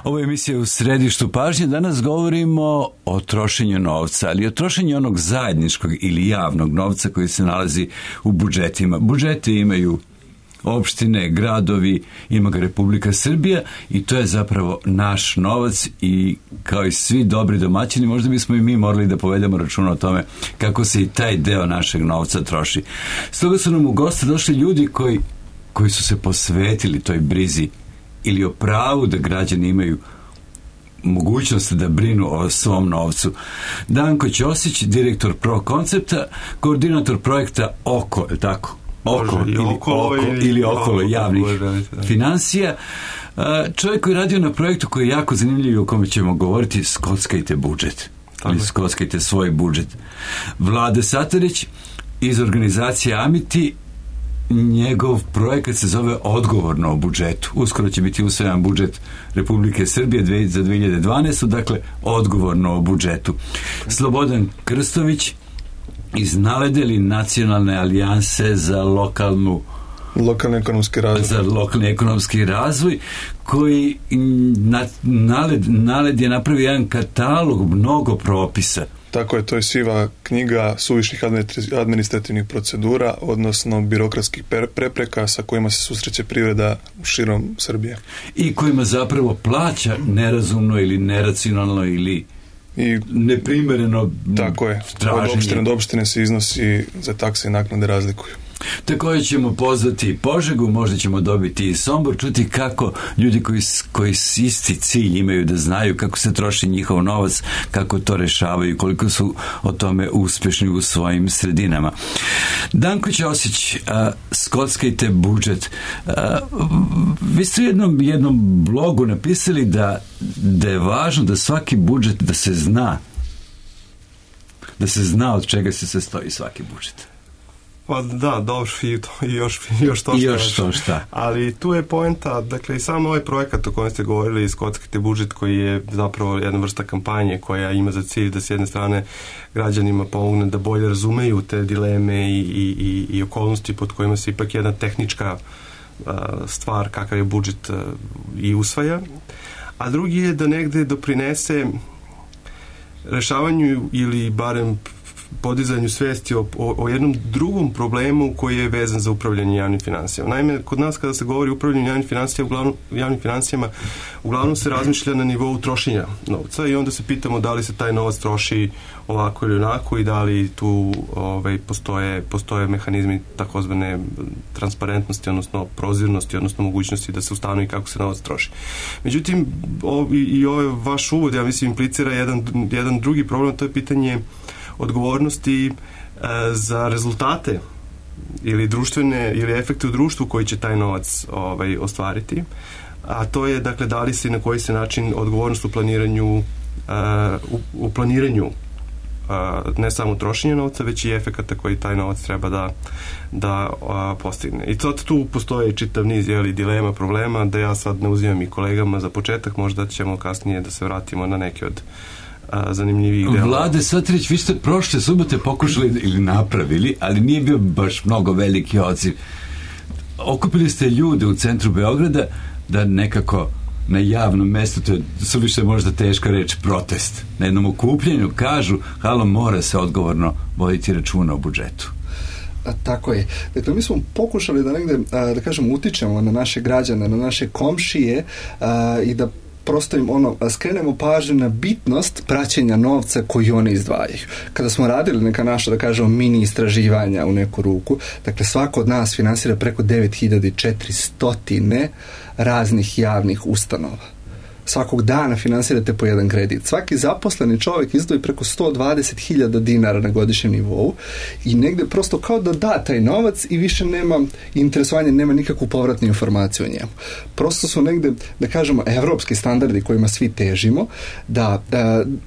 Ovo je emisija U središtu pažnje. Danas govorimo o trošenju novca, ali o trošenju onog zajedničkog ili javnog novca koji se nalazi u budžetima. Budžete imaju opštine, gradovi, ima ga Republika Srbija i to je zapravo naš novac i kao i svi dobri domaćini možda bismo i mi morali da povedemo računa o tome kako se i taj deo našeg novca troši. Stoga su nam u goste došli ljudi koji su se posvetili toj brizi ili o pravu da građani imaju mogućnost da brinu o svom novcu. Danko Ćosić, direktor ProKoncepta, koordinator projekta OKO, je tako? Okolo javnih finansija. Čovjek koji je radio na projektu koji je jako zanimljiv, o kome ćemo govoriti, Skockajte budžet. Ili Skockajte svoj budžet. Vlade Satarić iz organizacije Amiti, njegov projekat se zove Odgovorno o budžetu. Uskoro će biti usvajan budžet Republike Srbije za 2012. Dakle, Odgovorno o budžetu. Slobodan Krstović iz Naledeli nacionalne alijanse za lokalni ekonomski razvoj, koji Naled je napravio jedan katalog mnogo propisa. Tako je, to je siva knjiga suvišnih administrativnih procedura, odnosno birokratskih prepreka sa kojima se susreće privreda širom Srbije. I kojima zapravo plaća nerazumno ili neracionalno ili neprimjereno tako je, traženje. Od opštine do opštine se iznosi za takse i naknade razlikuju. Također ćemo pozvati Požegu, možda ćemo dobiti i Sombor, čuti kako ljudi koji isti cilj imaju da znaju kako se troši njihov novac, kako to rešavaju, koliko su o tome uspješni u svojim sredinama. Danko Ćosić, Skockajte budžet. Vi ste u jednom blogu napisali da je važno da svaki budžet, da se zna od čega se sastoji svaki budžet. Pa da, dobro, i još to šta. Ali tu je poenta, dakle i sam ovaj projekat o kojem ste govorili, Skockajte budžet, koji je zapravo jedna vrsta kampanje koja ima za cilj da s jedne strane građanima pomogne da bolje razumeju te dileme i okolnosti pod kojima se ipak jedna tehnička stvar kakav je budžet i usvaja. A drugi je da negde doprinese rešavanju ili barem podizanju svesti o jednom drugom problemu koji je vezan za upravljanje javnim finansijama. Naime, kod nas kada se govori o upravljanju javnim finansijama, uglavnom se razmišlja na nivou trošenja novca i onda se pitamo da li se taj novac troši ovako ili onako i da li tu postoje mehanizmi takozvane transparentnosti, odnosno prozirnosti, odnosno mogućnosti da se ustanovi kako se novac troši. Međutim, i ovaj vaš uvod, ja mislim, implicira jedan drugi problem, to je pitanje odgovornosti za rezultate ili društvene ili efekte u društvu koji će taj novac ostvariti, a to je dakle da li se na koji se način odgovornost u planiranju ne samo trošenja novca, već i efekata koji taj novac treba da postigne. I sad tu postoje čitav niz dilema, problema, da ja sad ne uzimam i kolegama za početak, možda ćemo kasnije da se vratimo na neke od zanimljivih dela. Vlade Satarić, vi ste prošle subote pokušali ili napravili, ali nije bio baš mnogo veliki odziv. Okupili ste ljude u centru Beograda da nekako na javnom mjestu, to je suviše možda teška reč, protest. Na jednom okupljenju kažu, halo, mora se odgovorno voditi računa o budžetu. Tako je. Dakle, mi smo pokušali da negde, da kažem, utičemo na naše građane, na naše komšije i da prosto im skrenemo pažnju na bitnost praćenja novca koji oni izdvajaju. Kada smo radili neka naša, da kažemo, mini istraživanja u neku ruku, dakle svako od nas finansira preko 9400 raznih javnih ustanova. Svakog dana finansirate po jedan kredit. Svaki zaposleni čovjek izdvoji preko 120.000 dinara na godišnjem nivou i negde prosto kao da da taj novac i više nema interesovanja, nema nikakvu povratnu informaciju o njemu. Prosto su negde, da kažemo, evropski standardi kojima svi težimo, da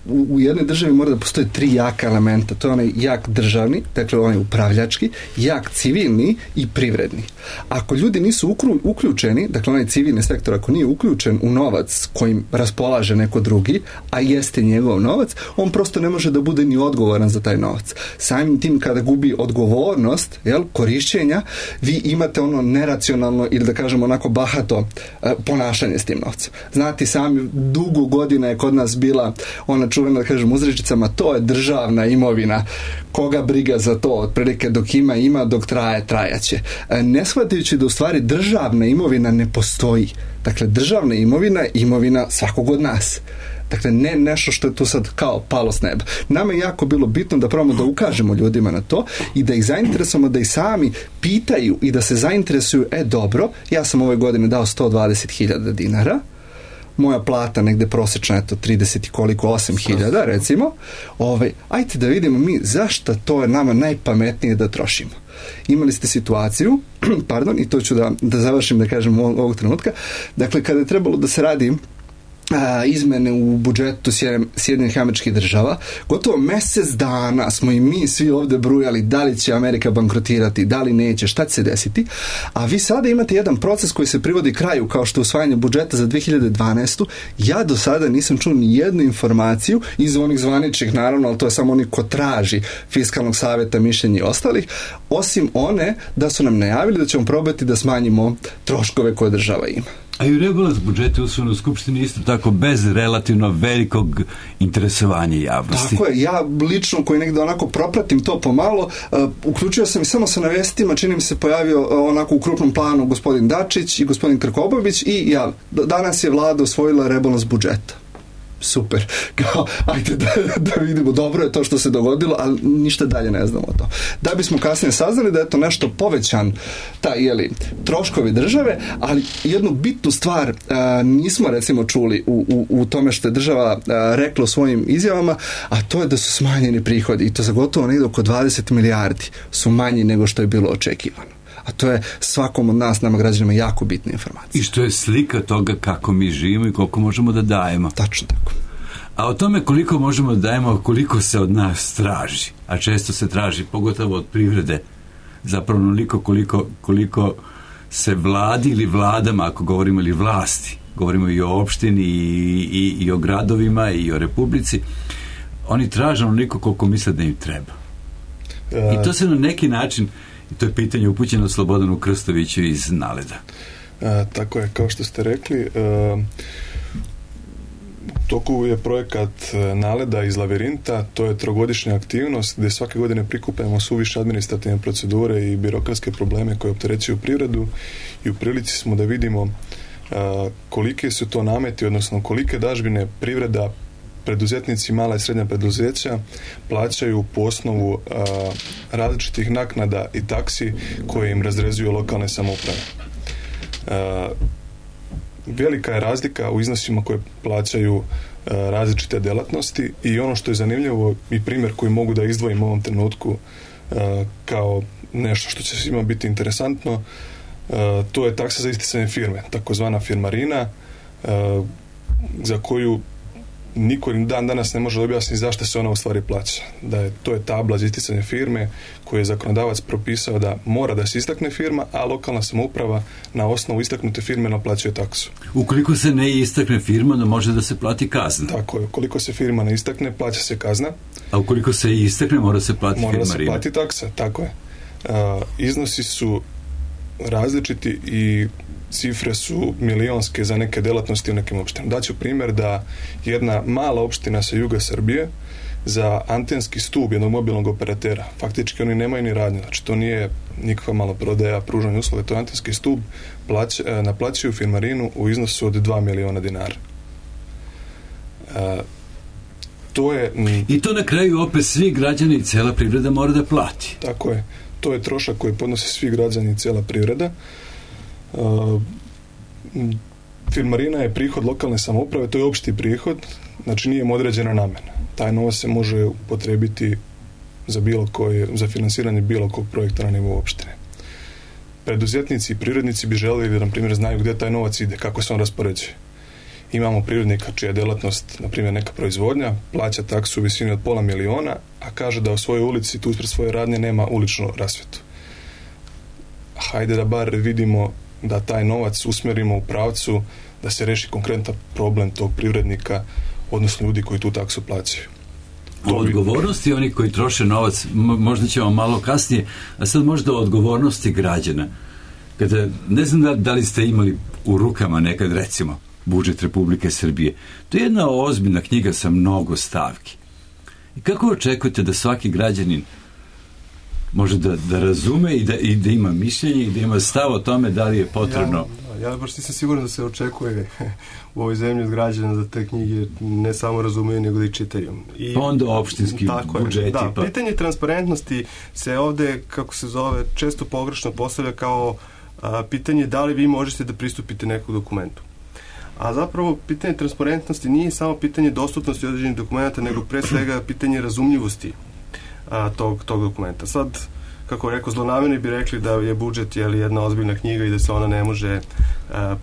u jednoj državi mora da postoje 3 jaka elementa. To je onaj jak državni, dakle onaj upravljački, jak civilni i privredni. Ako ljudi nisu uključeni, dakle onaj civilni sektor, ako nije uključen u novac koji kojim raspolaže neko drugi, a jeste njegov novac, on prosto ne može da bude ni odgovoran za taj novac. Samim tim kada gubi odgovornost, korišćenja, vi imate ono neracionalno ili da kažemo onako bahato ponašanje s tim novcem. Znate sami, dugo godina je kod nas bila ona čuvena, da kažem, uzrečicama, to je državna imovina, koga briga za to, otprilike dok ima, dok traje, trajaće. Ne shvatajući da u stvari državna imovina ne postoji. Dakle, državna imovina je imovina svakog od nas. Dakle, ne nešto što je tu sad kao palo s neba. Nama je jako bilo bitno da probamo da ukažemo ljudima na to i da ih zainteresujemo, da ih sami pitaju i da se zainteresuju, dobro, ja sam ove godine dao 120.000 dinara, moja plata negde prosječna, 30 i koliko, 8.000 recimo, ajte da vidimo mi zašto to je nama najpametnije da trošimo. Imali ste situaciju, pardon, i to ću da završim, da kažem ovog trenutka, dakle, kada je trebalo da se radi izmene u budžetu Sjedinjenih Američkih Država, gotovo mjesec dana smo i mi svi ovdje brujali da li će Amerika bankrotirati, da li neće, šta će se desiti, a vi sada imate jedan proces koji se privodi kraju kao što je usvajanje budžeta za 2012. Ja do sada nisam čuo ni jednu informaciju iz onih zvaničnih, naravno, ali to je samo oni ko traži fiskalnog savjeta, mišljenja i ostalih, osim one da su nam najavili da ćemo probati da smanjimo troškove koje država ima. A i rebalans budžeta usvojen u Skupštini isto tako bez relativno velikog interesovanja javnosti. Tako je, ja lično koji negdje onako propratim to pomalo, uključio sam i samo sa navestima, čini mi se pojavio onako u krupnom planu gospodin Dačić i gospodin Krkobabić i danas je vlada osvojila rebalans budžeta. Super, kao, ajde da vidimo, dobro je to što se dogodilo, ali ništa dalje ne znamo to. Da bismo kasnije saznali da je to nešto povećan troškovi države, ali jednu bitnu stvar nismo recimo čuli u tome što je država rekla u svojim izjavama, a to je da su smanjeni prihodi i to za gotovo negdje oko 20 milijardi su manji nego što je bilo očekivano. A to je svakom od nas, nama građanima, jako bitna informacija. I što je slika toga kako mi živimo i koliko možemo da dajemo. Tačno tako. A o tome koliko možemo da dajemo, koliko se od nas traži, a često se traži, pogotovo od privrede, zapravo onoliko koliko se vladi ili vladama, ako govorimo, ili vlasti, govorimo i o opštini i o gradovima i o republici, oni traže onoliko koliko misle da im treba. I to se na neki način, to je pitanje upućeno Slobodanu Krstoviću iz Naleda. Tako je, kao što ste rekli, u toku je projekat Naleda iz Lavirinta, to je trogodišnja aktivnost gdje svake godine prikupljamo suviše administrativne procedure i birokratske probleme koje opterećuju privredu i u prilici smo da vidimo kolike su to nameti, odnosno kolike dažbine privreda, preduzetnici, mala i srednja preduzeća plaćaju po osnovu različitih naknada i taksi koje im razrezuju lokalne samouprave. Velika je razlika u iznosima koje plaćaju različite djelatnosti i ono što je zanimljivo i primjer koji mogu da izdvojim u ovom trenutku kao nešto što će svima biti interesantno, to je taksa za isticanje firme, takozvana firmarina, za koju niko dan danas ne može objasniti zašto se ona u stvari plaća. To je tabla za isticanje firme koju je zakonodavac propisao da mora da se istakne firma, a lokalna samouprava na osnovu istaknute firme naplaćuje taksu. Ukoliko se ne istakne firma, onda može da se plati kazna. Tako je, ukoliko se firma ne istakne, plaća se kazna. A ukoliko se istakne, mora se plati firmarina. Mora se plati taksa, tako je. Iznosi su različiti i cifre su milionske za neke djelatnosti u nekim opštinama. Daću primjer da jedna mala opština sa juga Srbije za antenski stup jednog mobilnog operatera, faktički oni nemaju ni radnje, znači to nije nikakva maloprodaja, pružanje usluge, to je antenski stup, naplaćuju firmarinu u iznosu od 2 miliona dinara. I to na kraju opet svi građani i cijela privreda mora da plati. Tako je. To je trošak koji podnose svi građani i cijela privreda. Firmarina je prihod lokalne samouprave, to je opšti prihod, znači nije im određena namjena. Taj novac se može upotrijebiti za finansiranje bilo kog projekta na nivou opštine. Preduzetnici i privrednici bi željeli da, na primjer, znaju gdje taj novac ide, kako se on raspoređuje. Imamo privrednika čija je djelatnost, na primjer, neka proizvodnja, plaća taksu u visini od $500,000, a kaže da u svojoj ulici, tu ispred svoje radnje, nema uličnu rasvjetu. Hajde da bar vidimo da taj novac usmjerimo u pravcu da se reši konkretan problem tog privrednika, odnosno ljudi koji tu taksu plaćaju. O odgovornosti oni koji troše novac, možda ćemo malo kasnije, a sad možda o odgovornosti građana. Kada, ne znam da li ste imali u rukama nekad, recimo, budžet Republike Srbije. To je jedna ozbiljna knjiga sa mnogo stavki. I kako očekujete da svaki građanin može da razume i da ima mišljenje i da ima stav o tome da li je potrebno? Ja baš nisam siguran da se očekuje u ovoj zemlji od građana da te knjige ne samo razumeju, nego da ih čitaju. Pa onda opštinski budžeti. Da, pitanje transparentnosti se ovde, kako se zove, često pogrešno postavlja kao pitanje da li vi možete da pristupite nekom dokumentu. A zapravo pitanje transparentnosti nije samo pitanje dostupnosti određenih dokumenta, nego pre svega pitanje razumljivosti tog dokumenta. Sad, kako rekao, zlonamerni bi rekli da je budžet jedna ozbiljna knjiga i da se ona ne može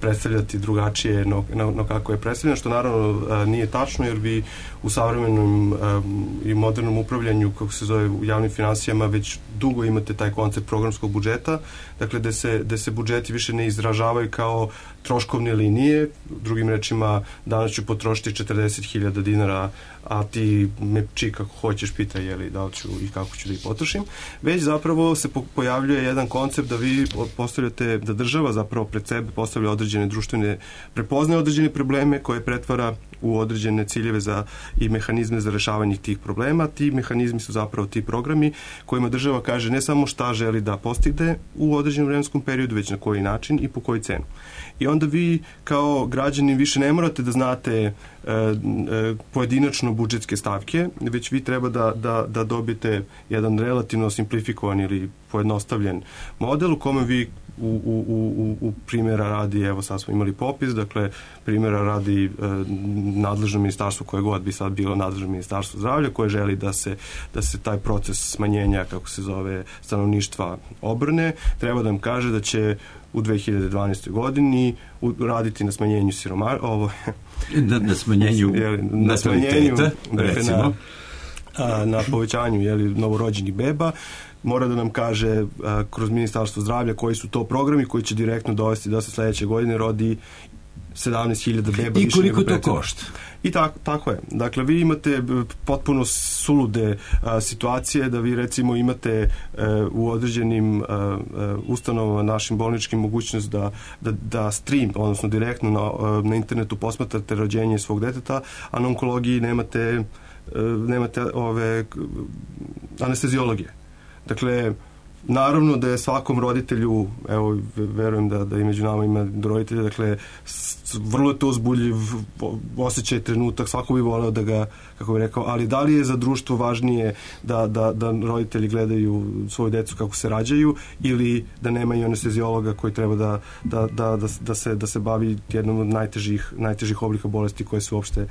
predstavljati drugačije no kako je predstavljena, što naravno nije tačno, jer vi u savremenom i modernom upravljanju, kako se zove, u javnim finansijama, već dugo imate taj koncept programskog budžeta, dakle da se budžeti više ne izražavaju kao troškovne linije, drugim rečima, danas ću potrošiti 40.000 dinara, a ti me kako hoćeš pitaj da li ću i kako ću da ih potrošim, već zapravo se pojavljuje jedan koncept da vi postavljate, da država zapravo pred sebe postavlja određene društvene, prepoznaje određene probleme koje pretvara u određene ciljeve i mehanizme za rešavanje tih problema. Ti mehanizmi su zapravo ti programi kojima država kaže ne samo šta želi da postigne u određenom vremenskom periodu, već na koji način i po koji cenu. I onda vi kao građanin više ne morate da znate pojedinačno budžetske stavke, već vi treba da dobijete jedan relativno simplifikovan ili pojednostavljen model u kome vi u primjera radi, evo sad smo imali popis, dakle primjera radi nadležno ministarstvo, koje god bi sad bilo nadležno ministarstvo zdravlja, koje želi da se taj proces smanjenja, kako se zove, stanovništva obrne, treba da nam kaže da će u 2012. godini raditi na smanjenju na smanjenju nataliteta, recimo. Na povećanju novorođenih beba. Mora da nam kaže kroz Ministarstvo zdravlja koji su to programi koji će direktno dovesti da se sledeće godine rodi 17.000 beba. I koliko to košta? I tako je. Dakle, vi imate potpuno sulude situacije da vi recimo imate u određenim ustanovama našim bolničkim mogućnost da stream, odnosno direktno na internetu posmatrate rođenje svog deteta, a na onkologiji nemate ove anesteziologije. Dakle, naravno da je svakom roditelju, evo, verujem da i među nama ima roditelja, dakle, vrlo je to uzbudljiv osjećaj, trenutak, svako bi voleo da ga, kako bi rekao, ali da li je za društvo važnije da roditelji gledaju svoju decu kako se rađaju ili da nemaju anesteziologa koji treba da se bavi jednom od najtežih oblika bolesti koje se uopšte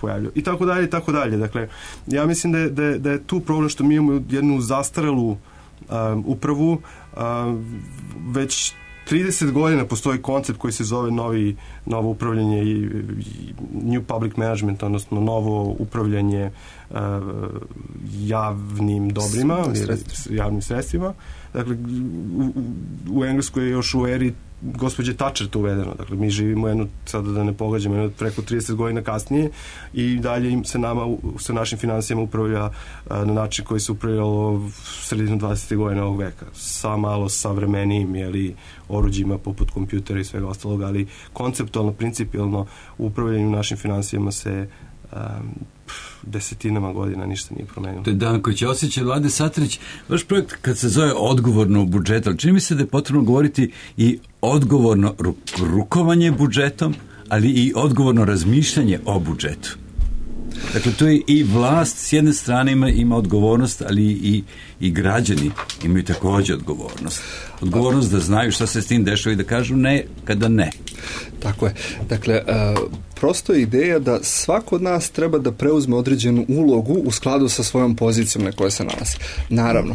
pojavljaju. I tako dalje, i tako dalje. Dakle, ja mislim da je tu problem što mi imamo jednu zastarelu upravu, već 30 godina postoji koncept koji se zove novo upravljanje i New Public Management, odnosno novo upravljanje javnim dobrima, javnim sredstvima. Dakle, u Engleskoj je još u eri gospođe Thatcher to uvedeno. Dakle, mi živimo sada da ne pogađamo, preko 30 godina kasnije i dalje sa našim finansijama upravlja na način koji se upravljalo sredinu 20. godina ovog veka. Sa malo savremenijim oruđima poput kompjutera i svega ostalog, ali konceptualno, principijalno u upravljanju našim finansijama se desetinama godina ništa nije promenilo. To je Danko Ćosić, Vlade Satrić. Vaš projekt kad se zove odgovorno budžet, ali čini mi se da je potrebno govoriti i odgovorno rukovanje budžetom, ali i odgovorno razmišljanje o budžetu. Dakle, to je i vlast s jedne strane ima odgovornost, ali i građani imaju također odgovornost. Odgovornost da znaju šta se s tim dešava i da kažu ne kada ne. Tako je. Dakle, prosto je ideja da svako od nas treba da preuzme određenu ulogu u skladu sa svojom pozicijom na kojoj se nalazi. Naravno,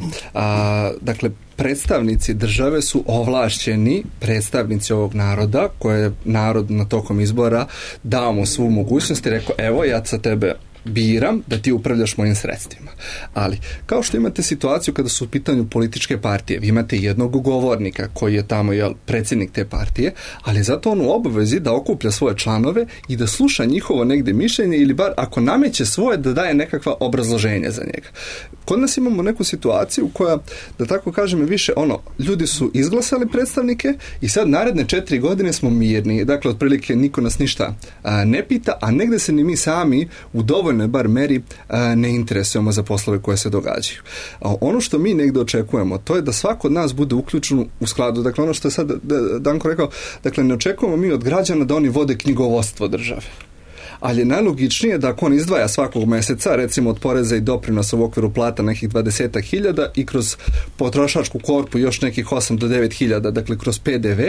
dakle, predstavnici države su ovlašćeni predstavnici ovog naroda, koje je narod na tokom izbora dao mu svu mogućnost i rekao, evo, ja sa tebe biram da ti upravljaš mojim sredstvima. Ali, kao što imate situaciju kada su u pitanju političke partije, vi imate jednog govornika koji je tamo predsjednik te partije, ali zato on u obavezi da okuplja svoje članove i da sluša njihovo negde mišljenje ili bar ako nameće svoje da daje nekakva obrazloženja za njega. Kod nas imamo neku situaciju koja, da tako kažem, je više ljudi su izglasali predstavnike i sad naredne 4 godine smo mirni. Dakle, otprilike niko nas ništa ne pita, a negde se ni mi sami u dovoljnoj bar meri ne interesujemo za poslove koje se događaju. Ono što mi negde očekujemo, to je da svako od nas bude uključen u skladu. Dakle, ono što je sad Danko rekao, dakle, ne očekujemo mi od građana da oni vode knjigovodstvo države. Ali je najlogičnije da ako on izdvaja svakog meseca, recimo od poreza i doprinosa u okviru plata nekih 20.000 i kroz potrošačku korpu još nekih 8 do 9.000, dakle kroz PDV,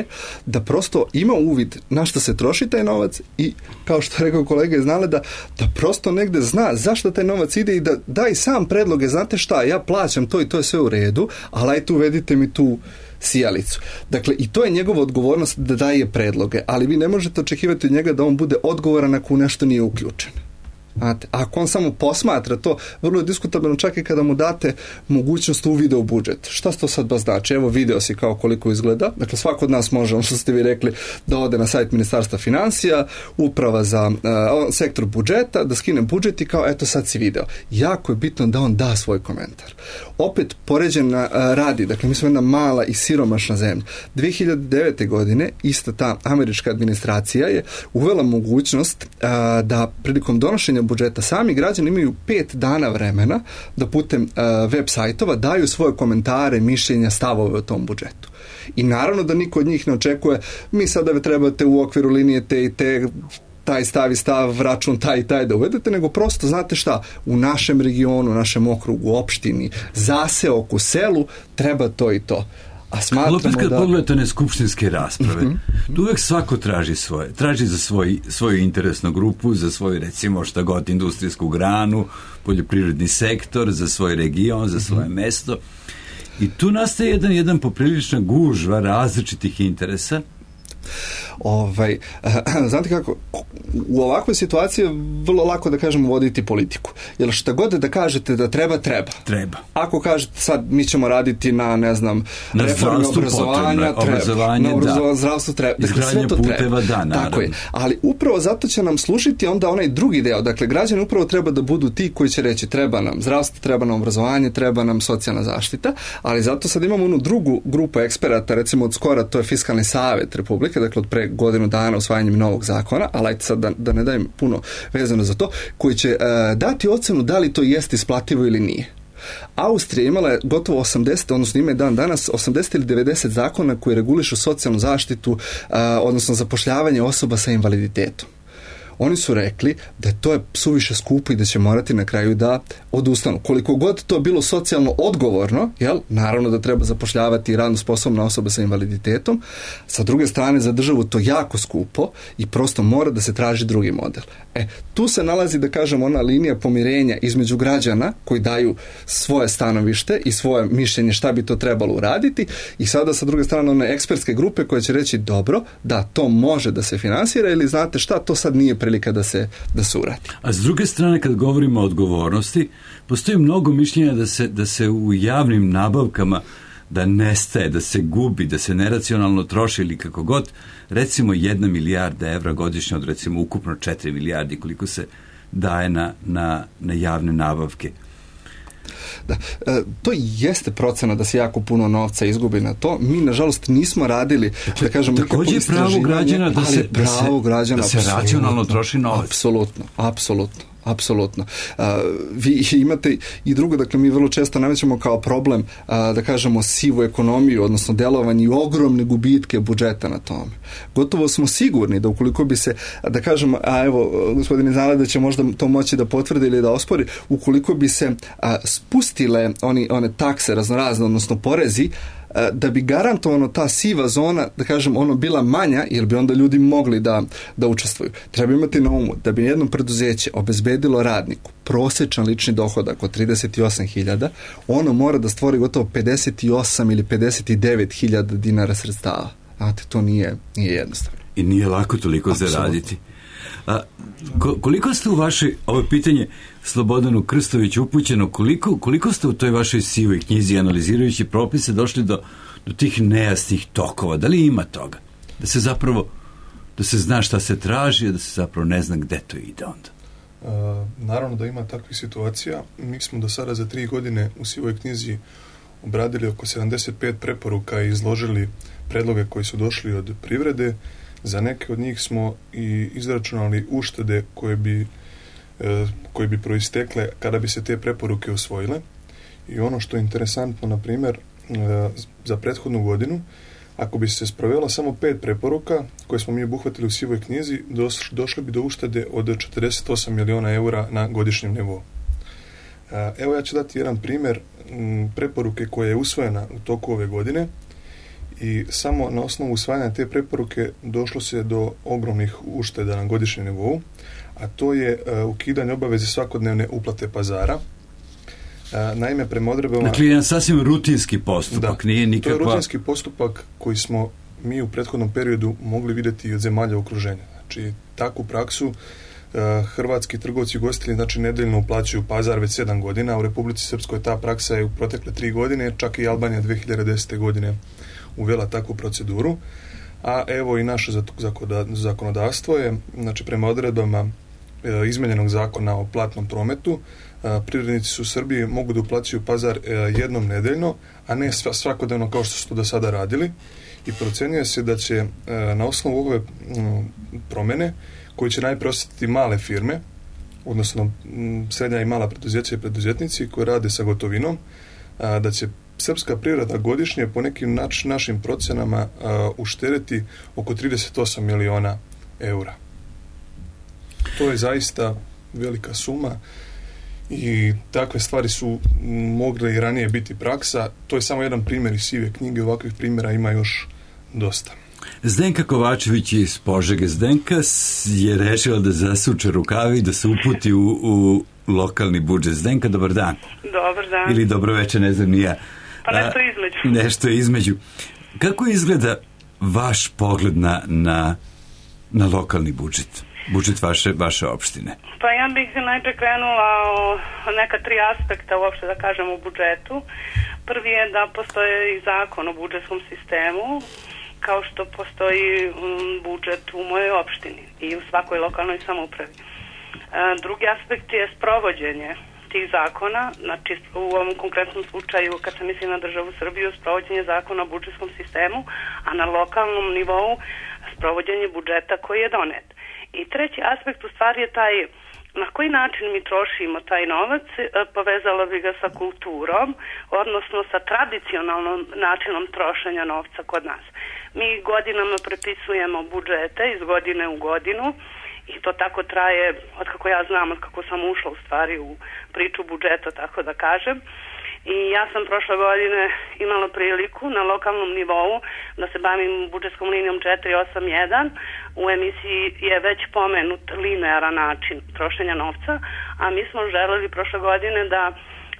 da prosto ima uvid na što se troši taj novac i, kao što je rekao kolega iz Naleda, da prosto negde zna zašto taj novac ide i da da i sam predloge, znate šta, ja plaćam to i to je sve u redu, ali ajte uvedite mi tu sijalicu. Dakle, i to je njegova odgovornost da daje predloge, ali vi ne možete očekivati od njega da on bude odgovoran ako u nešto nije uključen. Znate, ako on samo posmatra to, vrlo je diskutabilno čak i kada mu date mogućnost uvida u budžet. Šta to sad baš znači? Evo, video si kao koliko izgleda. Dakle, svako od nas može, ono što ste vi rekli, da ode na sajt Ministarstva financija, uprava za sektor budžeta, da skine budžet i kao, eto sad si video. Jako je bitno da on da svoj komentar. Opet, poređena radi, dakle, mi smo jedna mala i siromašna zemlja. 2009. godine ista ta američka administracija je uvela mogućnost da prilikom donošenja budžeta sami građani imaju 5 dana vremena da putem web sajtova daju svoje komentare, mišljenja, stavove o tom budžetu. I naravno da niko od njih ne očekuje, mi sada trebate u okviru linije te i te taj stav, račun taj i taj da uvedete, nego prosto, znate šta, u našem regionu, u našem okrugu, opštini, zaseoku, selu, treba to i to. A smatramo opet kad pogledate one skupštinske rasprave, tu uvek svako traži svoje. Traži za svoju interesnu grupu, za svoju, recimo, šta god, industrijsku granu, poljoprivredni sektor, za svoj region, za svoje mesto. I tu nastaje jedan poprilična gužva različitih interesa. Znate kako, u ovakvoj situaciji je vrlo lako da kažemo voditi politiku. Jer šta god da kažete da treba. Ako kažete sad mi ćemo raditi na, ne znam, reforme obrazovanja, na zdravstvu treba. Dakle, sve to puteva, treba. Tako je. Ali upravo zato će nam služiti onda onaj drugi deo. Dakle, građani upravo treba da budu ti koji će reći treba nam zdravstvo, treba nam obrazovanje, treba nam socijalna zaštita, ali zato sad imamo onu drugu grupu eksperata, recimo od skora, to je Fiskalni savet Republike, dakle od pre godinu dana usvajanjem novog zakona, ali ajte sad da ne dajem puno vezano za to, koji će dati ocenu da li to jeste isplativo ili nije. Austrija imala je gotovo 80, odnosno ima je danas 80 ili 90 zakona koji regulišu socijalnu zaštitu, odnosno zapošljavanje osoba sa invaliditetom. Oni su rekli da to je suviše skupo i da će morati na kraju da odustanu. Koliko god to bilo socijalno odgovorno, naravno da treba zapošljavati radno sposobna osoba sa invaliditetom, sa druge strane za državu to jako skupo i prosto mora da se traži drugi model. Tu se nalazi, da kažem, ona linija pomirenja između građana koji daju svoje stanovište i svoje mišljenje šta bi to trebalo uraditi i sada sa druge strane one ekspertske grupe koje će reći dobro, da to može da se finansira ili znate šta, to sad nije prilika da se uradi. A s druge strane, kad govorimo o odgovornosti, postoji mnogo mišljenja da se u javnim nabavkama da nestaje, da se gubi, da se neracionalno troši ili kako god, recimo 1 milijarda evra godišnje od recimo ukupno 4 milijardi koliko se daje na javne nabavke. Da, to jeste procena da se jako puno novca izgubi na to. Mi, nažalost, nismo radili, da kažem, takođe je pravo građana da se racionalno troši novac. Apsolutno. Vi imate i drugo, dakle, mi vrlo često namećemo kao problem, da kažemo, sivu ekonomiju, odnosno delovanje i ogromne gubitke budžeta na tome. Gotovo smo sigurni da ukoliko bi se, da kažemo, evo, gospodin Zanada će možda to moći da potvrdi ili da ospori, ukoliko bi se spustile one takse raznorazne, odnosno porezi, da bi garantovano ta siva zona, da kažem, bila manja, jer bi onda ljudi mogli da učestvuju. Treba imati na umu da bi jedno preduzeće obezbedilo radniku prosječan lični dohodak od 38.000, ono mora da stvori gotovo 58 ili 59.000 dinara sredstava. Znate, to nije jednostavno. I nije lako toliko zaraditi. Koliko ste u vašoj, ovo pitanje Slobodanu Krstoviću upućeno, koliko ste u toj vašoj sivoj knjizi analizirajući propise došli do tih nejasnih tokova? Da li ima toga? Da se zna šta se traži, a da se zapravo ne zna gde to ide onda? Naravno da ima takvih situacija. Mi smo do sada za 3 godine u sivoj knjizi obradili oko 75 preporuka i izložili predloge koji su došli od privrede. Za neke od njih smo i izračunali uštede koje bi proistekle kada bi se te preporuke usvojile. I ono što je interesantno, na primjer, za prethodnu godinu, ako bi se sprovelo samo 5 preporuka koje smo mi obuhvatili u sivoj knjizi, došli bi do uštede od 48 miliona eura na godišnjem nivou. Evo ja ću dati jedan primjer preporuke koja je usvojena u toku ove godine i samo na osnovu usvajanja te preporuke došlo se do ogromnih ušteda na godišnjem nivou, a to je ukidanje obaveze svakodnevne uplate pazara. Naime, prema odredbama... Dakle, jedan sasvim rutinski postupak, nije nikakva... To je rutinski postupak koji smo mi u prethodnom periodu mogli vidjeti od zemalja okruženja. Znači, takvu praksu hrvatski trgovci i ugostitelji, znači, nedeljno uplaćuju pazar već 7 godina. U Republici Srpskoj ta praksa je u protekle 3 godine, čak i Albanija 2010. godine uvela takvu proceduru. A evo i naše zakonodavstvo je, znači, prema odredbama izmenjenog zakona o platnom prometu, privrednici su u Srbiji mogu da uplaćuju pazar jednom nedeljno, a ne svakodnevno kao što su to do sada radili, i procenjuje se da će na osnovu ove promene, koji će najprije osjetiti male firme, odnosno srednja i mala preduzeća i preduzetnici koji rade sa gotovinom, da će srpska privreda godišnje po nekim našim procenama uštedeti oko 38 miliona eura. To je zaista velika suma i takve stvari su mogle i ranije biti praksa. To je samo jedan primjer iz sive knjige, ovakvih primjera ima još dosta. Zdenka Kovačević iz Požege. Zdenka je rešila da zasuče rukavi i da se uputi u lokalni budžet. Zdenka, dobar dan. Dobar dan. Ili dobro večer, ne znam ni ja. Pa nešto između. Nešto između. Kako izgleda vaš pogled na lokalni budžet? Budžet vaše opštine? Pa ja bih najprej krenula o neka 3 aspekta uopšte da kažem u budžetu. Prvi je da postoji i zakon o budžetskom sistemu, kao što postoji budžet u mojoj opštini i u svakoj lokalnoj samoupravi. Drugi aspekt je sprovođenje tih zakona, znači u ovom konkretnom slučaju, kad se misli na državu Srbiju, sprovođenje zakona o budžetskom sistemu, a na lokalnom nivou sprovođenje budžeta koji je donet. I treći aspekt u stvari je taj na koji način mi trošimo taj novac, povezala bi ga sa kulturom, odnosno sa tradicionalnom načinom trošenja novca kod nas. Mi godinama prepisujemo budžete iz godine u godinu i to tako traje od kako ja znam, od kako sam ušla u stvari u priču budžeta, tako da kažem. I ja sam prošle godine imala priliku na lokalnom nivou da se bavim budžetskom linijom 481. U emisiji je već pomenut linearan način trošenja novca, a mi smo želeli prošle godine da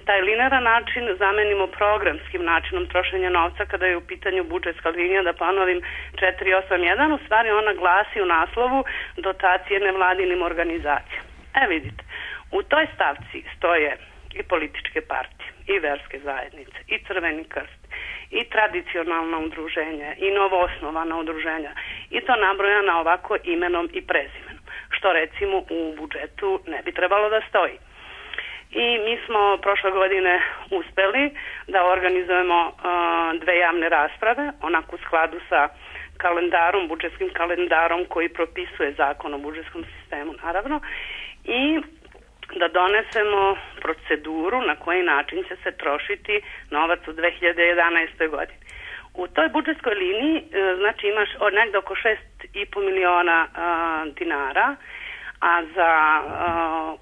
taj linearan način zamenimo programskim načinom trošenja novca kada je u pitanju budžetska linija, da ponovim 481. U stvari ona glasi u naslovu dotacije nevladinim organizacijama. Vidite, u toj stavci stoje i političke partije, i verske zajednice, i Crveni krst, i tradicionalna udruženja, i novoosnovana udruženja, i to nabrojana ovako imenom i prezimenom, što recimo u budžetu ne bi trebalo da stoji. I mi smo prošle godine uspeli da organizujemo 2 javne rasprave, onako u skladu sa kalendarom, budžetskim kalendarom koji propisuje zakon o budžetskom sistemu, naravno, i da donesemo proceduru na koji način će se trošiti novac u 2011. godini. U toj budžetskoj liniji znači imaš negde oko 6,5 miliona dinara, a za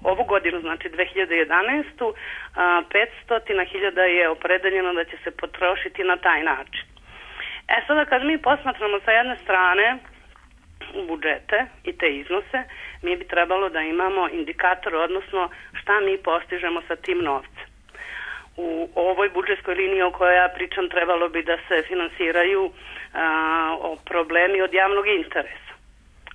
ovu godinu, znači 2011. 500.000 je opredeljeno da će se potrošiti na taj način. Sada kad mi posmatramo sa jedne strane budžete i te iznose, mi bi trebalo da imamo indikator, odnosno šta mi postižemo sa tim novcem. U ovoj budžetskoj liniji o kojoj ja pričam trebalo bi da se finansiraju problemi od javnog interesa.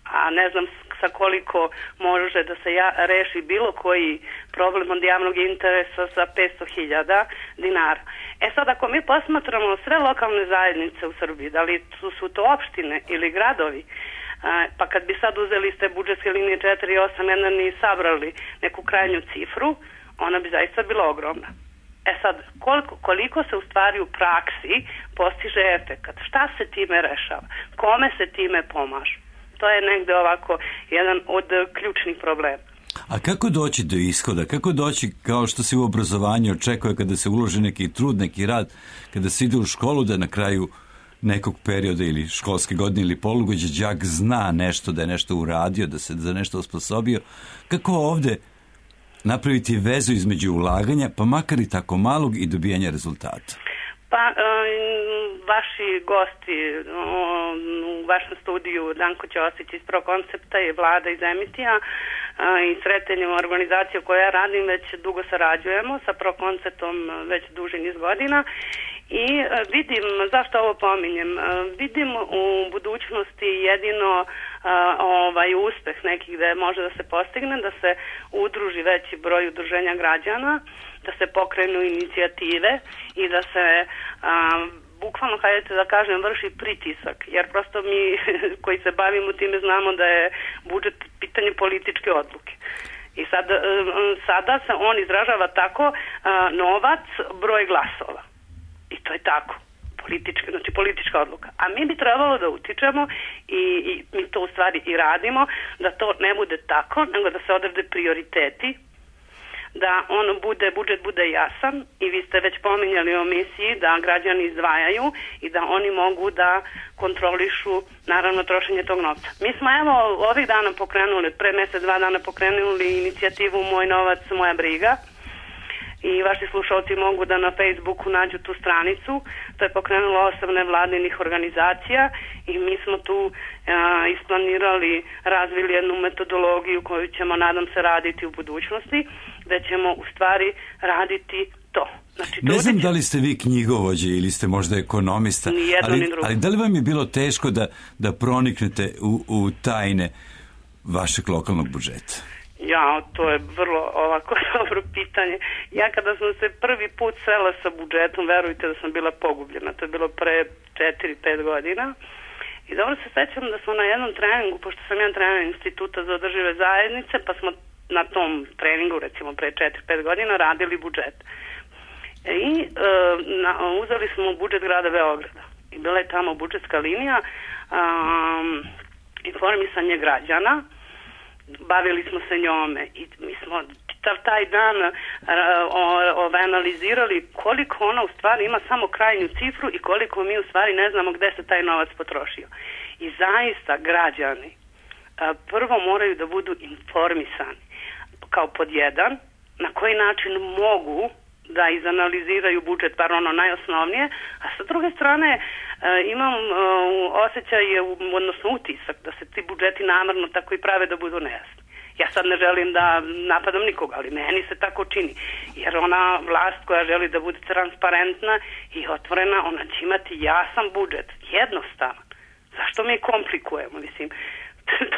A ne znam sa koliko može da se reši bilo koji problem od javnog interesa sa 500.000 dinara. Sad ako mi posmatramo sve lokalne zajednice u Srbiji, da li su to opštine ili gradovi, pa kad bi sad uzeli ste budžetske linije 4 i 8 jedan i sabrali neku krajnju cifru, ona bi zaista bila ogromna. Sad, koliko se u stvari u praksi postiže efekat? Šta se time rešava? Kome se time pomaže? To je negde ovako jedan od ključnih problema. A kako doći do ishoda? Kako doći, kao što se u obrazovanju očekuje kada se uloži neki trud, neki rad, kada se ide u školu, da na kraju nekog perioda ili školske godine ili polugođe đak zna nešto, da je nešto uradio, da se za nešto osposobio? Kako ovde napraviti vezu između ulaganja, pa makar i tako malog, i dobijanja rezultata? Pa, vaši gosti u vašem studiju, Danko Ćosić iz Prokoncepta i Vlada iz Emitija i Sretenjem organizacije koja ja radim, već dugo sarađujemo sa Prokonceptom već duži niz godina i vidim, zašto ovo pominjem, vidim u budućnosti jedino uspeh nekih da može da se postigne, da se udruži veći broj udruženja građana, da se pokrenu inicijative i da se bukvalno, hajde da kažem, vrši pritisak, jer prosto mi koji se bavimo time znamo da je budžet pitanje političke odluke. I sada se on izražava tako, novac, broj glasova. I to je tako. Politička odluka. A mi bi trebalo da utičemo i mi to u stvari i radimo, da to ne bude tako, nego da se odrede prioriteti, da budžet bude jasan i vi ste već pominjali o misiji da građani izdvajaju i da oni mogu da kontrolišu naravno trošenje tog novca. Mi smo ovih dana pokrenuli, pre mesec, 2 dana pokrenuli inicijativu Moj novac, moja briga i vaši slušalci mogu da na Facebooku nađu tu stranicu. To je pokrenulo 8 nevladinih organizacija i mi smo tu isplanirali, razvili jednu metodologiju koju ćemo, nadam se, raditi u budućnosti, gde ćemo u stvari raditi to. Znači, ne znam da li ste vi knjigovođe ili ste možda ekonomista, ali da li vam je bilo teško da proniknete u tajne vašeg lokalnog budžeta? To je vrlo ovako dobro pitanje. Ja kada sam se prvi put sela sa budžetom, verujte da sam bila pogubljena. To je bilo pre 4-5 godina. I dobro se sećam da smo na jednom treningu, pošto sam jedan trener Instituta za održive zajednice, pa smo na tom treningu, recimo pre 4-5 godina, radili budžet. I uzeli smo budžet grada Beograda. I bila je tamo budžetska linija, informisanje građana, bavili smo se njome i mi smo taj dan analizirali koliko ona u stvari ima samo krajnju cifru i koliko mi u stvari ne znamo gde se taj novac potrošio. I zaista građani prvo moraju da budu informisani kao pod jedan, na koji način mogu da izanaliziraju budžet, bar ono najosnovnije, a sa druge strane imam osjećaj, odnosno utisak, da se ti budžeti namerno tako i prave da budu nejasni. Ja sad ne želim da napadam nikoga, ali meni se tako čini, jer ona vlast koja želi da bude transparentna i otvorena, ona će imati jasan budžet, jednostavan. Zašto mi komplikujemo, mislim,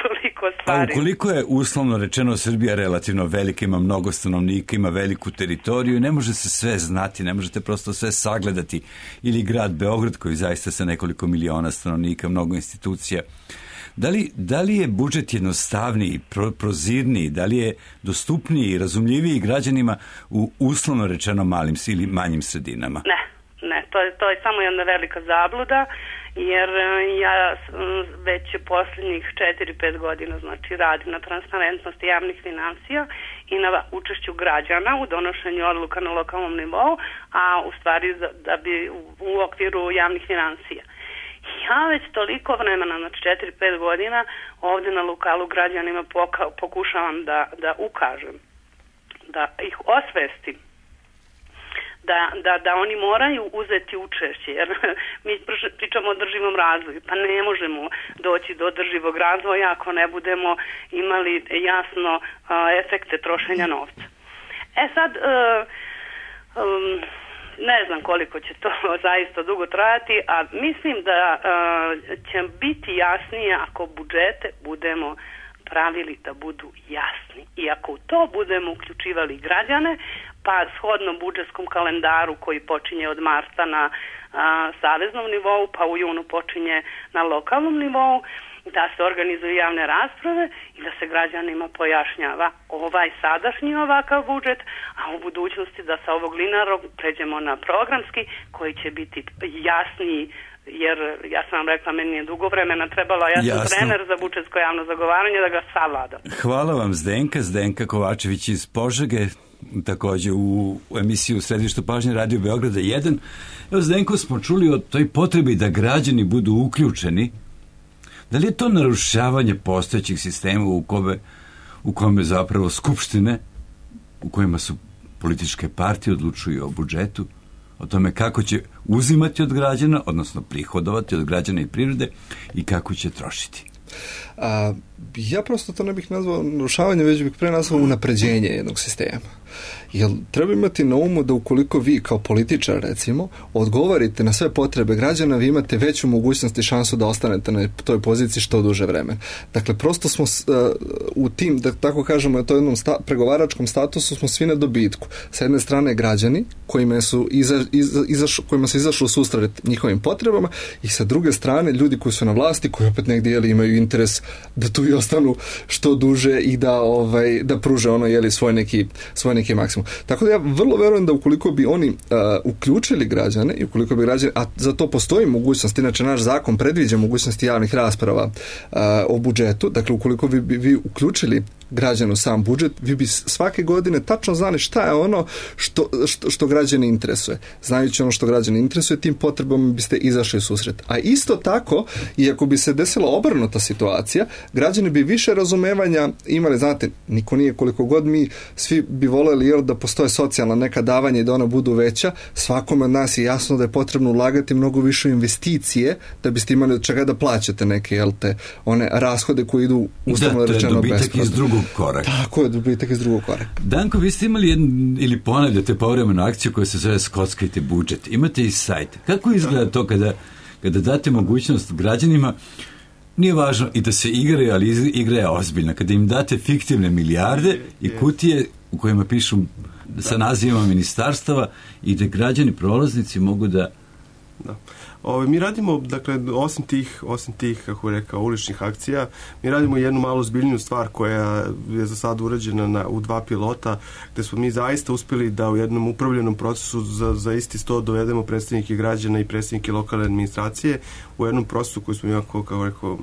toliko stvari. A ukoliko je uslovno rečeno Srbija relativno velika, ima mnogo stanovnika, ima veliku teritoriju, ne može se sve znati, ne možete prosto sve sagledati, ili grad Beograd koji zaista sa nekoliko miliona stanovnika, mnogo institucija. Da li je budžet jednostavniji, prozirniji, da li je dostupniji i razumljiviji građanima u uslovno rečeno malim ili manjim sredinama? Ne, to je samo jedna velika zabluda, jer ja već posljednjih 4-5 godina radim na transparentnosti javnih finansija i na učešću građana u donošenju odluka na lokalnom nivou, a u stvari da bi u okviru javnih finansija. Ja već toliko vremena, 4-5 godina, ovdje na lokalu građanima pokušavam da ukažem, da ih osvestim, da oni moraju uzeti učešće, jer mi pričamo o održivom razvoju, pa ne možemo doći do održivog razvoja ako ne budemo imali jasno efekte trošenja novca. Sad, ne znam koliko će to zaista dugo trajati, a mislim da će biti jasnije ako budžete budemo pravili da budu jasni. I ako u to budemo uključivali građane, pa shodno budžetskom kalendaru koji počinje od marta na saveznom nivou, pa u junu počinje na lokalnom nivou, da se organizuju javne rasprave i da se građanima pojašnjava ovaj sadašnji ovakav budžet, a u budućnosti da sa ovog linearnog pređemo na programski koji će biti jasniji, jer ja sam vam rekla, meni je dugo vremena trebalo, ja sam trener za budžetsko javno zagovaranje da ga savladam. Hvala vam Zdenka Kovačević iz Požege, takođe u emisiju Središtu pažnje Radio Beograda 1. Evo, Zdenko, smo čuli o toj potrebi da građani budu uključeni. Da li je to narušavanje postojećih sistema u kome zapravo skupštine, u kojima su političke partije odlučuju o budžetu, o tome kako će uzimati od građana, odnosno prihodovati od građana i prirode i kako će trošiti? Ja prosto to ne bih nazvao narušavanje, već bih pre nazvao unapređenje jednog sistema. Jer treba imati na umu da ukoliko vi kao političar, recimo, odgovorite na sve potrebe građana, vi imate veću mogućnost i šansu da ostanete na toj poziciji što duže vremena. Dakle, prosto smo u tim, da tako kažemo, na to jednom pregovaračkom statusu smo svi na dobitku. Sa jedne strane građani kojima se izašlo u susret njihovim potrebama i sa druge strane ljudi koji su na vlasti, koji opet negdje imaju interes da tu i ostanu što duže i da pruže svoj neki maksimum. Tako da ja vrlo verujem da ukoliko bi oni uključili građane i ukoliko bi građani, a za to postoji mogućnost, inače naš zakon predviđa mogućnosti javnih rasprava o budžetu, dakle ukoliko bi vi uključili građanu sam budžet, vi bi svake godine tačno znali šta je ono što građani interesuje. Znajući ono što građani interesuje, tim potrebama biste izašli u susret. A isto tako, i ako bi se desila obrnuta situacija, građani bi više razumevanja imali, znate, niko nije, koliko god mi svi bi voljeli da postoje socijalna neka davanja i da ona budu veća, svakome od nas je jasno da je potrebno ulagati mnogo više investicije da biste imali od čega da plaćate neke, one rashode koji idu uslovno rečeno besplatno. Korak. Tako je, dobitak iz drugog koraka. Danko, vi ste imali ili ponavljate povremenu akciju koja se zove Skockajte budžet. Imate i sajt. Kako izgleda to kada date mogućnost građanima, nije važno i da se igraju, ali igra je ozbiljna. Kada im date fiktivne milijarde i kutije u kojima pišu sa nazivima ministarstava i da građani prolaznici mogu da... Da. Mi radimo, dakle, osim tih, kako je rekao, uličnih akcija, mi radimo jednu malo zbiljniju stvar koja je za sad urađena u 2 pilota, gde smo mi zaista uspjeli da u jednom upravljenom procesu za isti sto dovedemo predstavnike građana i predstavnike lokalne administracije u jednom procesu koji smo jako, kako rekao,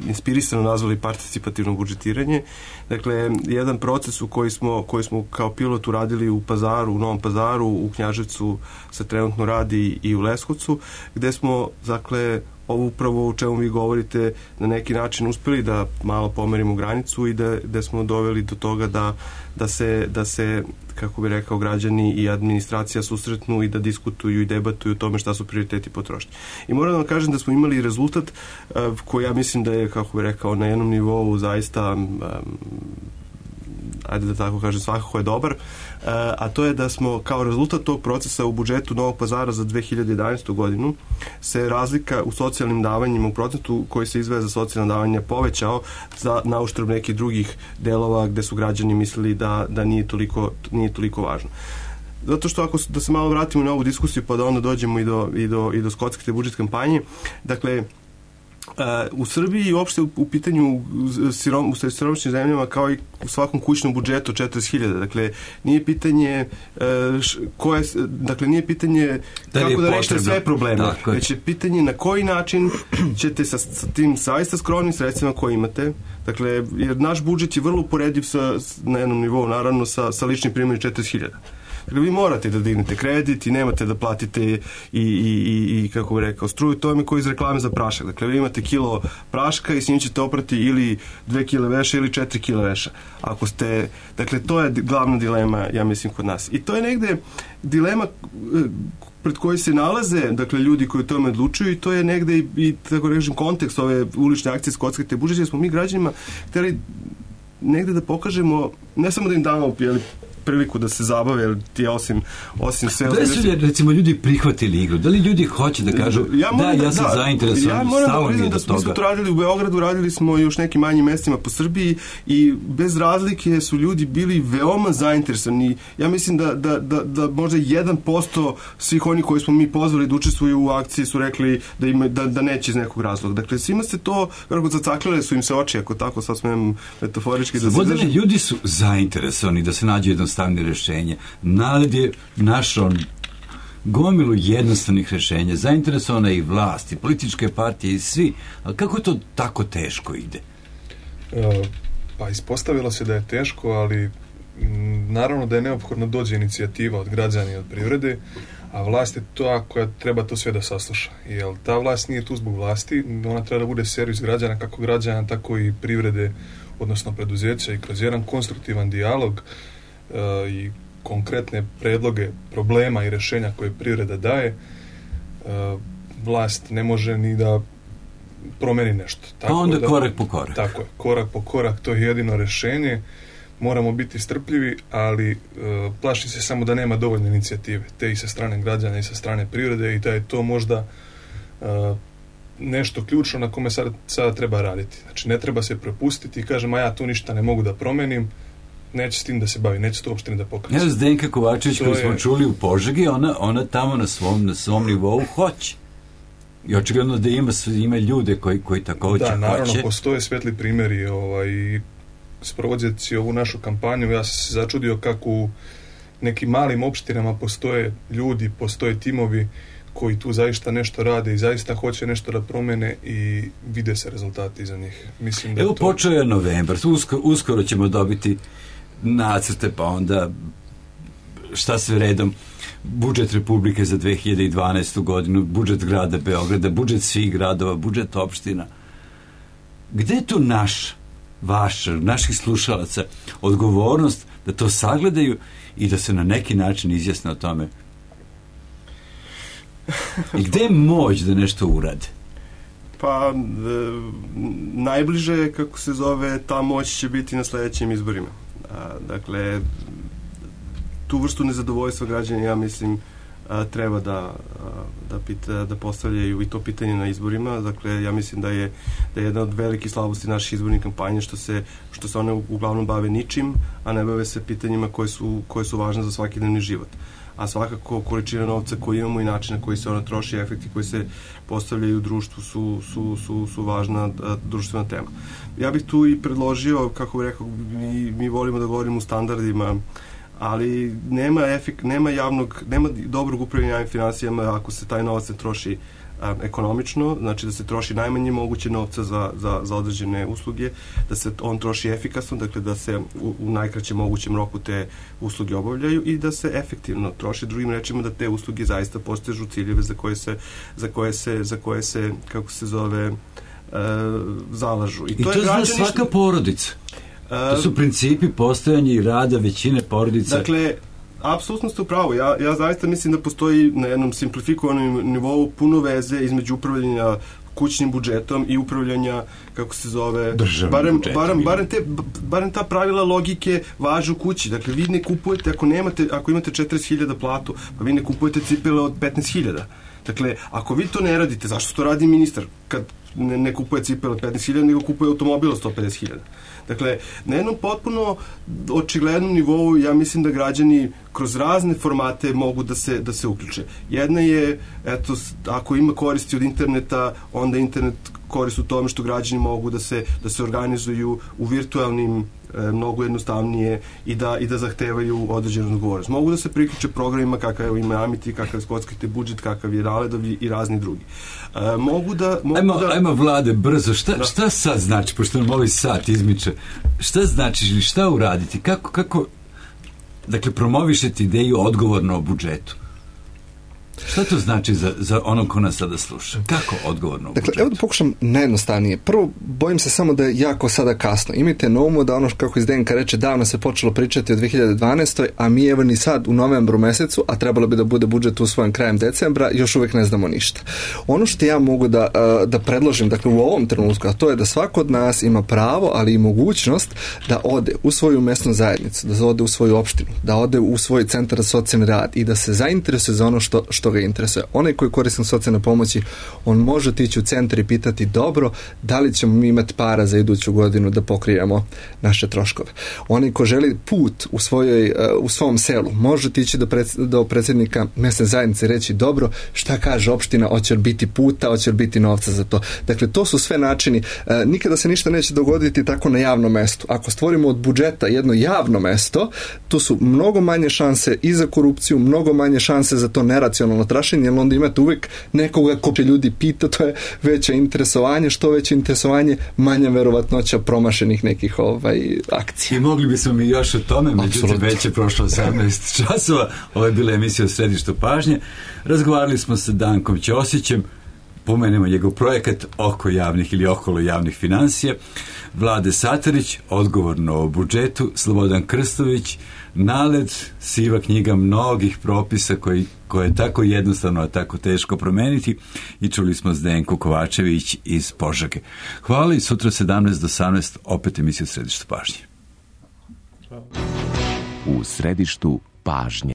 inspirisano nazvali participativno budžetiranje. Dakle, jedan proces u koji smo kao pilot uradili u Pazaru, u Novom Pazaru, u Knjaževcu se trenutno radi i u Leskovcu, gde smo, dakle, ovo upravo o čemu vi govorite na neki način uspjeli da malo pomerimo granicu i da smo doveli do toga da se kako bi rekao, građani i administracija susretnu i da diskutuju i debatuju o tome šta su prioriteti potrošnje. I moram da vam kažem da smo imali rezultat koji ja mislim da je, kako bi rekao, na jednom nivou zaista ajde da tako kažem, svakako je dobar, a to je da smo kao rezultat tog procesa u budžetu Novog Pazara za 2011. godinu se razlika u socijalnim davanjima u procentu koji se izdvaja za socijalna davanja povećao na uštrb nekih drugih delova gde su građani mislili da nije toliko važno. Zato što da se malo vratimo na ovu diskusiju pa da onda dođemo i do Skockajte budžet kampanje, dakle, u Srbiji i uopšte u pitanju u siromašnim zemljama kao i u svakom kućnom budžetu 40.000. Dakle, nije pitanje nije pitanje kako da rešite sve probleme, već je pitanje na koji način ćete sa tim zaista skromnim sredstvima koje imate, dakle, jer naš budžet je vrlo uporediv na jednom nivou, naravno, sa ličnim primjerom 40.000. Dakle, vi morate da dignete kredit i nemate da platite i kako bih rekao, struju, to je koji iz reklame za prašak. Dakle, vi imate kilo praška i s njim ćete oprati ili 2 kile veša ili 4 kile veša. Ako ste, dakle, to je glavna dilema, ja mislim, kod nas. I to je negde dilema pred koji se nalaze, dakle, ljudi koji o tome odlučuju i to je negde i tako rečem, kontekst ove ulične akcije Skockajte budžet, jer smo mi građanima hteli negde da pokažemo, ne samo da im damo priliku da se zabave, jer ti osim sve... Da li su recimo ljudi prihvatili igru? Da li ljudi hoće da kažu ja sam zainteresovan, ja moram da priznam da smo to radili u Beogradu, radili smo i još nekim manjim mestima po Srbiji i bez razlike su ljudi bili veoma zainteresovani. Ja mislim da možda 1% svih oni koji smo mi pozvali da učestvuju u akciji su rekli da neće iz nekog razloga. Dakle, svima se to, kako zacaklile su im se oči, ako tako sad smem metaforički da se izražim. Ljudi su zainteresovani da se nađe jednostavne rešenje. Narod je našao gomilu jednostavnih rešenja. Zainteresovana je i vlast, i političke partije, i svi. Ali kako to tako teško ide? Pa ispostavilo se da je teško, ali naravno da je neophodno dođe inicijativa od građana i od privrede, a vlast je ta koja treba to sve da sasluša. Jer ta vlast nije tu zbog vlasti, ona treba da bude servis građana, kako građana, tako i privrede, odnosno preduzeća, i kroz jedan konstruktivan dijalog i konkretne predloge problema i rešenja koje privreda daje, vlast ne može ni da promeni nešto. Tako pa onda korak po korak. Tako je, korak po korak, to je jedino rešenje. Moramo biti strpljivi, ali plaši se samo da nema dovoljno inicijative, te i sa strane građana i sa strane privrede, i da je to možda nešto ključno na kome sada treba raditi. Znači, ne treba se prepustiti i kažem, ja tu ništa ne mogu da promenim, neće s tim da se bavi, neće to uopšte ni da pokaže. Ja, Zdenka Kovačević, koju smo čuli u Požegi, ona tamo na svom nivou hoće. I očigledno da ima ljude koji takođe hoće. Da, naravno, postoje svetli primjeri i sprovođeći ovu našu kampanju, ja sam se začudio kako u nekim malim opštinama postoje ljudi, postoje timovi koji tu zaista nešto rade i zaista hoće nešto da promene i vide se rezultati za njih. Mislim da počeo je novembar, uskoro ćemo dobiti nacrte, pa onda šta sve redom, budžet Republike za 2012. godinu, budžet grada Beograda, budžet svih gradova, budžet opština. Gde je tu naših slušalaca odgovornost da to sagledaju i da se na neki način izjasne o tome? I gde je moć da nešto urade? Pa, najbliže, kako se zove, ta moć će biti na sledećim izborima. Dakle, tu vrstu nezadovoljstva građana, ja mislim, treba da postavljaju i to pitanje na izborima. Dakle, ja mislim da je jedna od velikih slabosti naših izbornih kampanja što se one uglavnom bave ničim, a ne bave se pitanjima koje su važne za svakodnevni život. A svakako količina novca koju imamo i način na koji se ona troši, efekti koji se postavljaju u društvu su važna društvena tema. Ja bih tu i predložio, kako bih rekao, mi volimo da govorimo o standardima, ali nema dobrog upravljanja javnim finansijama ako se taj novac ne troši ekonomično, znači da se troši najmanje moguće novca za određene usluge, da se on troši efikasno, dakle da se u najkraćem mogućem roku te usluge obavljaju i da se efektivno troši, drugim rečima da te usluge zaista postižu ciljeve za koje se kako se zove, zalažu. I to zna svaka porodica. To su principi postojanja i rada većine porodica. Dakle, apsolutno ste u pravu. Ja zaista mislim da postoji na jednom simplifikovanom nivou puno veze između upravljanja kućnim budžetom i upravljanja, kako se zove, barem ta pravila logike važe u kući. Dakle, vi ne kupujete, ako imate 40.000 platu, pa vi ne kupujete cipele od 15.000. Dakle, ako vi to ne radite, zašto to radi ministar kad ne kupuje cipele od 15.000, nego kupuje automobil od 150.000? Dakle, na jednom potpuno očiglednom nivou ja mislim da građani kroz razne formate mogu da se uključe. Jedna je, eto, ako ima koristi od interneta, onda internet korist u tome što građani mogu da se organizuju u virtualnim mnogo jednostavnije i da zahtevaju određenu odgovornost. Mogu da se priključe programima kakav ima Amity, kakav skockajte budžet, kakav je Raledovi i razni drugi. Ajmo Vlade, brzo, šta sad znači, pošto nam ovaj sat izmiče, šta znači ili šta uraditi, kako dakle, promovišete ideju odgovorno o budžetu? Šta to znači za ono ko nas sada sluša? Kako odgovorno u budžetu? Dakle, evo da pokušam najjednostavnije. Prvo, bojim se samo da je jako sada kasno. Imajte na umu da ono kako iz DNK reče, davno se počelo pričati o 2012. a mi evo ni sad u novembru mesecu, a trebalo bi da bude budžet usvojen krajem decembra, još uvijek ne znamo ništa. Ono što ja mogu da predložim, dakle u ovom trenutku, a to je da svako od nas ima pravo, ali i mogućnost da ode u svoju mesnu zajednicu, da ode u svoju opštinu, da ode u svoj centar za socijalni rad i da se zainteresuje za ono što ga interesuje. Onaj koji korisnik socijalne pomoći, on može otići u centar i pitati, dobro, da li ćemo mi imati para za iduću godinu da pokrijemo naše troškove. Onaj ko želi put u svom selu, može otići do predsjednika mesne zajednice i reći, dobro, šta kaže opština, hoće li biti puta, hoće li biti novca za to. Dakle, to su sve načini. Nikada se ništa neće dogoditi tako na javnom mestu. Ako stvorimo od budžeta jedno javno mesto, tu su mnogo manje šanse i za korupciju, mnogo manje šanse za to neracionalno trašenje, jer onda imate uvijek nekoga ko će ljudi pita, to je veće interesovanje, što veće interesovanje, manja verovatnoća promašenih nekih akcija. I mogli bismo mi još o tome, međutim već je prošlo 18 časova, ovo je bila emisija o Središtu pažnje, razgovarali smo sa Dankom Ćosićem, pomenemo njegov projekat oko javnih ili okolo javnih financija, Vlade Satarić, odgovorno o budžetu, Slobodan Krstović, NALED, siva knjiga mnogih propisa koje je tako jednostavno, a tako teško promeniti, i čuli smo Zdenku Kovačević iz Požege. Hvala i sutra 17 do 18 opet emisija u Središtu pažnje. U Središtu pažnje.